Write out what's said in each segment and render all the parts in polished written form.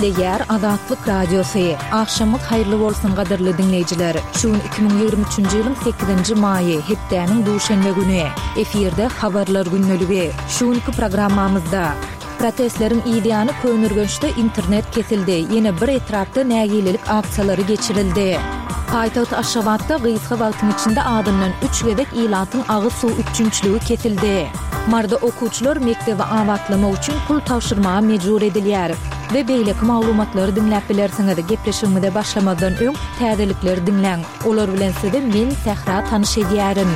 Gepleýär Azatlyk Radiosy. Agşamyňyz haýyrly bolsun gadyrly diňleýjiler. Şu gün 2023-nji ýylyň sekizinji maýy, hepdäniň duşenbe güni. Efirde Habarlar gündeligi. Şu günki programmamyzda. Protestleriň yz ýany Köneürgençde internet kesildi, ýene bir etrapda nägilelik aksiýalary geçirildi. Paýtagt Aşgabatda gysga wagtyň içinde azyndan üç gezek ilatyň agyz suw üpjünçiligi kesildi. Maryda okuwçylar mekdebi abatlamak üçin pul tabşyrmaga mejbur edilýär. We beýleki maglumatlary diňläp bilersiňiz. Gepleşigimize başlamazdan öň, täzelikleri diňläň. Olar bilen sizi men, Sähra tanyş edýärin.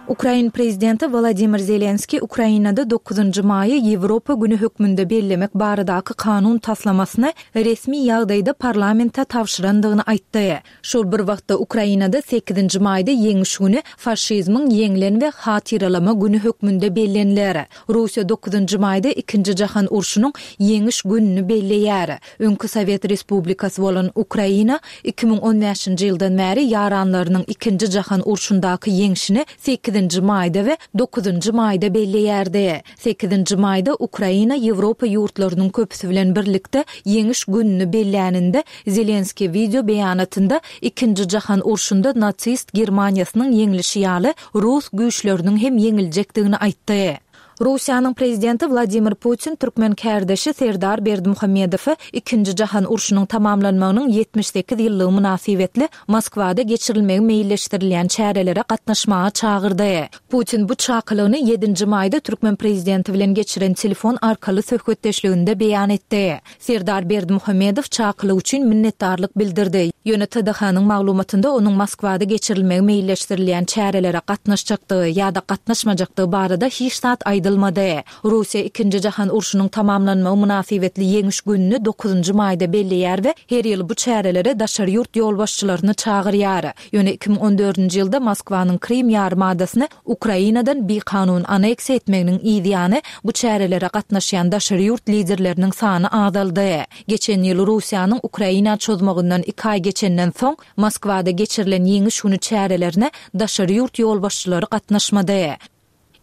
Ukrain prezidenti Wolodymyr Zelenskiý Ukrainada dokuzynjy maýy Ýewropa güni hökmünde bellemek baradaky kanun taslamasyny resmi ýagdaýda parlamente tabşyrandygyny aýtdy. Şol bir wagtda Ukrainada sekizinji maýda Ýeňiş güni faşizmiň ýeňlen we hatyralama güni hökmünde belleniler. Russiýa dokuzynjy maýda Ikinji jahan urşunyň Ýeňiş gününi belleýär. Öňki sowet respublikasy bolan Ukraina 2015-nji ýyldan bäri ýaranlarynyň Ikinji jahan urşundaky ýeňşini sekizinji maýda we dokuzynjy maýda belleýärdi. Sekizinji maýda Ukraina Ýewropa ýurtlarynyň köpüsi bilen birlikde Ýeňiş gününi belläninde, Zelenskiý wideo beýanatynda Ikinji jahan urşunda nasist Germaniýasynyň ýeňlişi ýaly rus güýçleriniň hem ýeňiljekdigini aýtdy. Russiýanyň prezidenti Wladimir Putin türkmen kärdeşi Serdar Berdimuhamedowy Ikinji jahan urşunyň tamamlanmagynyň 78 ýyllygy mynasybetli Moskwada geçirilmegi meýilleşdirilýän çärelere gatnaşmaga çagyrdy. Putin bu çakylygyny ýedinji maýda türkmen prezidenti bilen geçiren telefon arkaly söhbetdeşliginde beýan etdi. Serdar Berdimuhamedow çakylyk üçin minnetdarlyk bildirdi, ýöne TDH-nyň maglumatynda onuň Moskwada geçirilmegi meýilleşdirilýän çärelere gatnaşjakdygy ýa-da gatnaşmajakdygy barada hiç zat aýdylmady. Russiýa Ikinji jahan urşunyň tamamlanmagy mynasybetli Ýeňiş gününi dokuzynjy maýda belleýär we her ýyl bu çärelere daşary ýurt ýolbaşçylaryny çagyrýar. Ýöne 2014-nji ýylda Moskwanyň Krym ýarymadasyny Ukrainadan bikanun aneksiýa etmeginiň yz ýany, bu çärelere gatnaşýan daşary ýurt liderleriniň sany azaldy. Geçen ýyl Russiýanyň Ukraina çozmagyndan iki aý geçenden soň, Moskwada geçirilen Ýeňiş güni çärelerine daşary ýurt ýolbaşçylary gatnaşmady.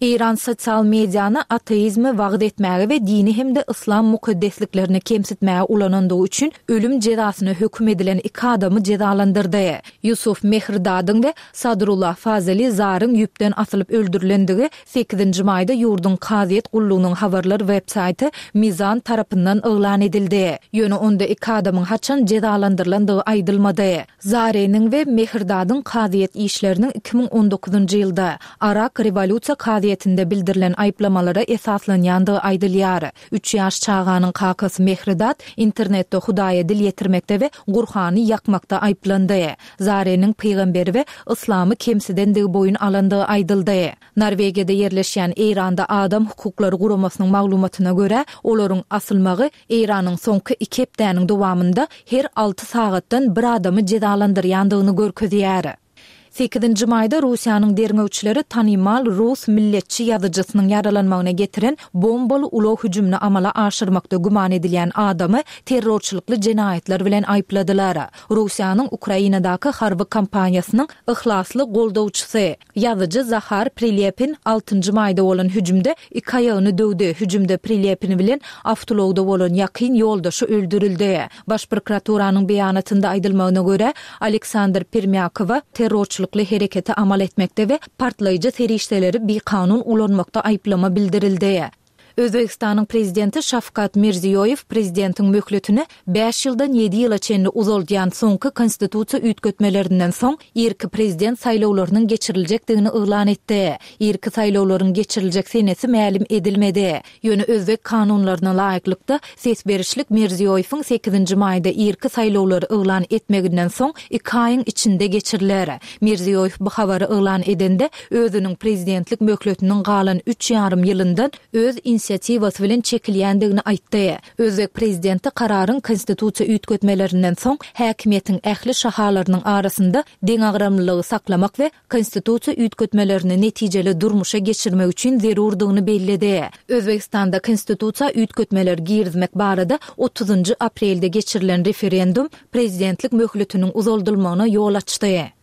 Eýran sosial mediany ateizmi wagyz etmäge we dini hem-de yslam mukaddesliklerini kemsitmäge ulanandygy üçin ölüm jezasyna höküm edilen iki adamy jezalandyrdy. Ýusuf Mehridadyň we Sadrullah Fazeli Zaryň ýüpden asylyp öldürilendigi sekizinji maýda ýurduň kazyýet gullugynyň habarlar websaýty Mizan tarapyndan yglan edildi. Ýöne onda iki adamyň haçan jezalandyrylandygy aýdylmady. Zareniň we Mehridadyň kazyýet işleriniň 2019-njy ýylda Arak rewolýusiýa kazyýetinde bildirilen aýyplamalara esaslanýandygy aýdylýar. Üç ýaş çaganyň kakasy Mehridat internetde Hudaýa dil ýetirmekde we Gurhany ýakmakda aýyplandy. Zareniň pygamberi we yslamy kemsidendigi boýun alandygy aýdyldy. Norwegiýada ýerleşýän Eýranda adam hukuklary guramasynyň maglumatyna görä, olaryň asylmagy Eýranyň soňky iki hepdäniň dowamynda her alty sagatdan bir adamy jezalandyrýandygyny görkezýär. Sekizinji maýda Russiýanyň derňewçileri tanymal rus milletçi ýazyjysynyň ýaralanmagyna getiren bombaly ulag hüjümini amala aşyrmakda güman edilýän adamy terrorçylykly jenaýatlar bilen aýypladylar. Russiýanyň Ukrainadaky harby kampaniýasynyň yhlasly goldawçysy, Ýazyjy Zahar Prilepin altynjy maýda bolan hüjümde iki aýagyny döwdi. Hüjümde Prilepin bilen awtoulagda bolan ýakyn ýoldaşy öldürildi. Baş prokuraturanyň beýanatynda aýdylmagyna görä, Aleksandr Permýakowa terrorçylykly hereketi amal etmekde we partlaýjy serişdeleri bikanun ulanmakda aýyplama bildirildi. Özbegistanyň Prezidenti Şawkat Mirziýoýew prezidentiň möhletini bäş ýyldan ýedi ýyla çenli uzaldýan soňky konstitusiýa üýtgetmelerinden soň irki prezident saýlawlarynyň geçiriljekdigini yglan etdi. Irki saýlawlaryň geçiriljek senesi mälim edilmedi. Ýöne özbek kanunlaryna laýyklykda, ses berişlik Mirziýoýewiň sekizinji maýda irki saýlawlary yglan etmeginden soň iki aýyň içinde geçiriler. Mirziýoýew bu habary yglan edende, özüniň prezidentlik möhletiniň galan üç ýarym ýylyndan öz inisiatiwasy bilen çekilýändigini aýtdy. Özbek prezidenti kararyň konstitusiýa üýtgetmelerinden soň häkimiýetiň ähli şahalarynyň arasynda deňagramlylygy saklamak we konstitusiýa üýtgetmelerini netijeli durmuşa geçirmek üçin zerurdygyny belledi. Özbegistanda konstitusiýa üýtgetmeler girizmek barada otuzynjy aprelde geçirilen referendum prezidentlik möhletiniň uzaldylmagyna ýol açdy.